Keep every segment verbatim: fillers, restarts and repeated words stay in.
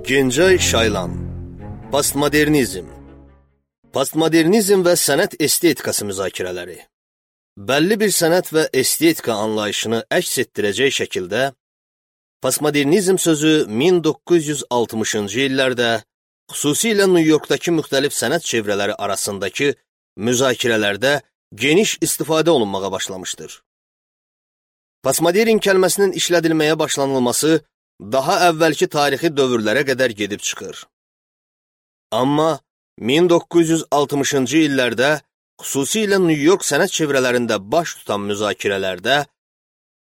Gencay Şaylan. Postmodernizm. Postmodernizm və sənət estetikası müzakirələri. Bəlli bir sənət və estetika anlayışını əks etdirəcək şəkildə postmodernizm sözü min doqquz yüz altmışıncı illərdə xüsusilə Nyu-Yorkdakı müxtəlif sənət çevrələri arasındakı müzakirələrdə geniş istifadə olunmağa başlamışdır. Postmodern kəlməsinin işlədilməyə başlanılması daha əvvəlki tarixi dövrlərə qədər gedib çıxır. Amma min doqquz yüz altmışıncı illərdə xüsusilə Nyu-York sənət çevrələrində baş tutan müzakirələrdə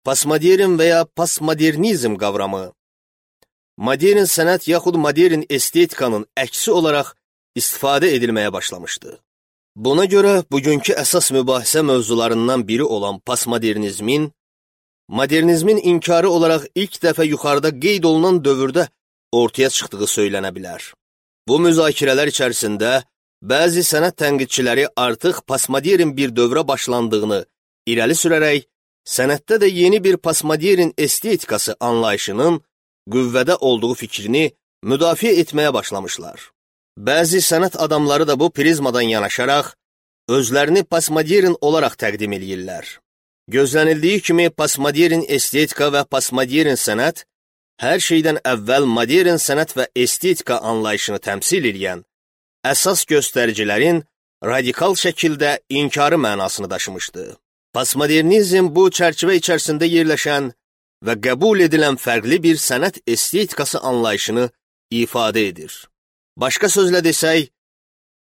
postmodern və ya postmodernizm qavramı modern sənət yaxud modern estetikanın əksi olaraq istifadə edilməyə başlamışdı. Buna görə bugünkü əsas mübahisə mövzularından biri olan postmodernizmin, modernizmin inkarı olaraq ilk dəfə yuxarıda qeyd olunan dövrdə ortaya çıxdığı söylənə bilər. Bu müzakirələr içərisində bəzi sənət tənqidçiləri artıq postmodern bir dövrə başlandığını irəli sürərək, sənətdə də yeni bir postmodern estetikası anlayışının qüvvədə olduğu fikrini müdafiə etməyə başlamışlar. Bəzi sənət adamları da bu prizmadan yanaşaraq, özlərini postmodern olaraq təqdim edirlər. Gözlənildiyi kimi postmodern estetika və postmodern sənət hər şeydən əvvəl modern sənət və estetika anlayışını təmsil edən əsas göstəricilərin radikal şəkildə inkarı mənasını daşımışdı. Postmodernizm bu çərçivə içərisində yerləşən və qəbul edilən fərqli bir sənət estetikası anlayışını ifadə edir. Başqa sözlə desək,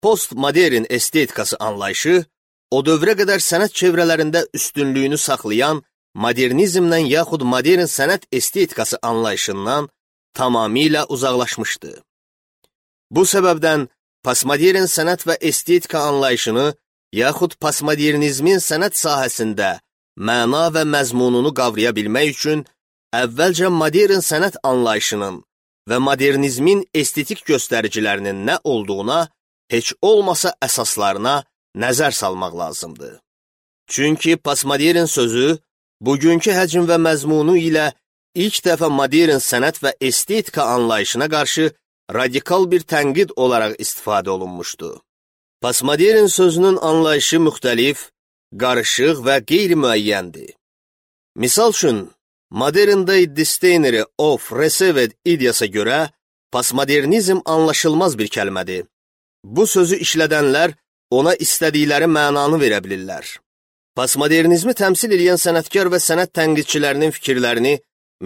postmodern estetikası anlayışı o dövrə qədər sənət çevrələrində üstünlüyünü saxlayan modernizmdən yaxud modern sənət estetikası anlayışından tamamilə uzaqlaşmışdı. Bu səbəbdən postmodern sənət və estetika anlayışını yaxud postmodernizmin sənət sahəsində məna və məzmununu qavraya bilmək üçün əvvəlcə modern sənət anlayışının və modernizmin estetik göstəricilərinin nə olduğuna, heç olmasa əsaslarına nəzər salmaq lazımdır. Çünki postmodern sözü bugünkü həcm və məzmunu ilə ilk dəfə modern sənət və estetika anlayışına qarşı radikal bir tənqid olaraq istifadə olunmuşdu. Postmodern sözünün anlayışı müxtəlif, qarışıq və qeyri-müəyyəndir. Misal üçün, Modern Day Dictionary of Received ideyasına görə postmodernizm anlaşılmaz bir kəlmədir. Bu sözü işlədənlər ona istədikləri mənanı verə bilirlər. Postmodernizmi təmsil edən sənətkar və sənət tənqidçilərinin fikirlərini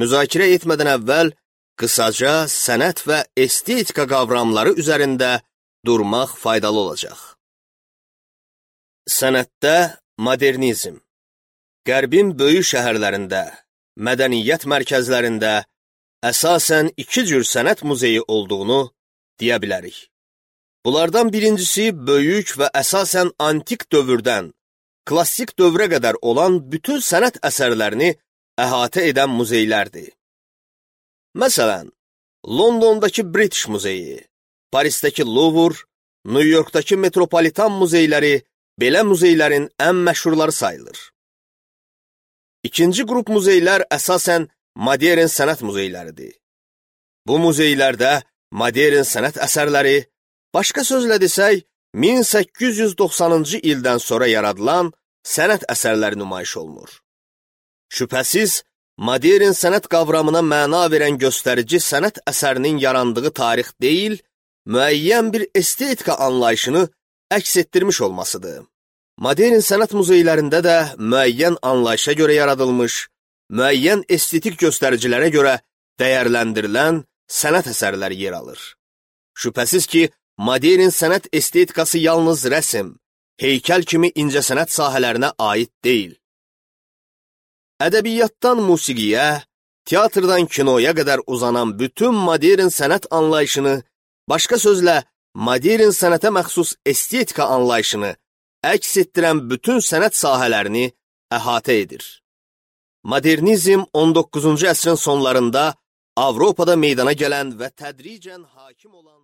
müzakirə etmədən əvvəl qısaca sənət və estetika qavramları üzərində durmaq faydalı olacaq. Sənətdə modernizm. Qərbin böyük şəhərlərində, mədəniyyət mərkəzlərində əsasən iki cür sənət muzeyi olduğunu deyə bilərik. Bunlardan birincisi böyük və əsasən antik dövrdən klassik dövrə qədər olan bütün sənət əsərlərini əhatə edən muzeylərdir. Məsələn, Londondakı British Muzeyi, Parisdəki Louvre, Nyu-Yorkdakı Metropolitan muzeyləri belə muzeylərin ən məşhurları sayılır. İkinci qrup muzeylər əsasən modern sənət muzeyləridir. Bu muzeylərdə modern sənət əsərləri, başqa sözlə desək, min səkkiz yüz doxsanıncı ildən sonra yaradılan sənət əsərləri nümayiş olunur. Şübhəsiz, modern sənət qavramına məna verən göstərici sənət əsərinin yarandığı tarix deyil, müəyyən bir estetika anlayışını əks etdirmiş olmasıdır. Modern sənət muzeylərində də müəyyən anlayışa görə yaradılmış, müəyyən estetik göstəricilərə görə dəyərləndirilən sənət əsərləri yer alır. Şübhəsiz ki, modern sənət estetikası yalnız rəsm, heykəl kimi incəsənət sahələrinə aid deyil. Ədəbiyyatdan musiqiyə, teatrdan kinoya qədər uzanan bütün modern sənət anlayışını, başqa sözlə, modern sənətə məxsus estetika anlayışını əks etdirən bütün sənət sahələrini əhatə edir. Modernizm on doqquzuncu əsrin sonlarında Avropada meydana gələn və tədricən hakim olan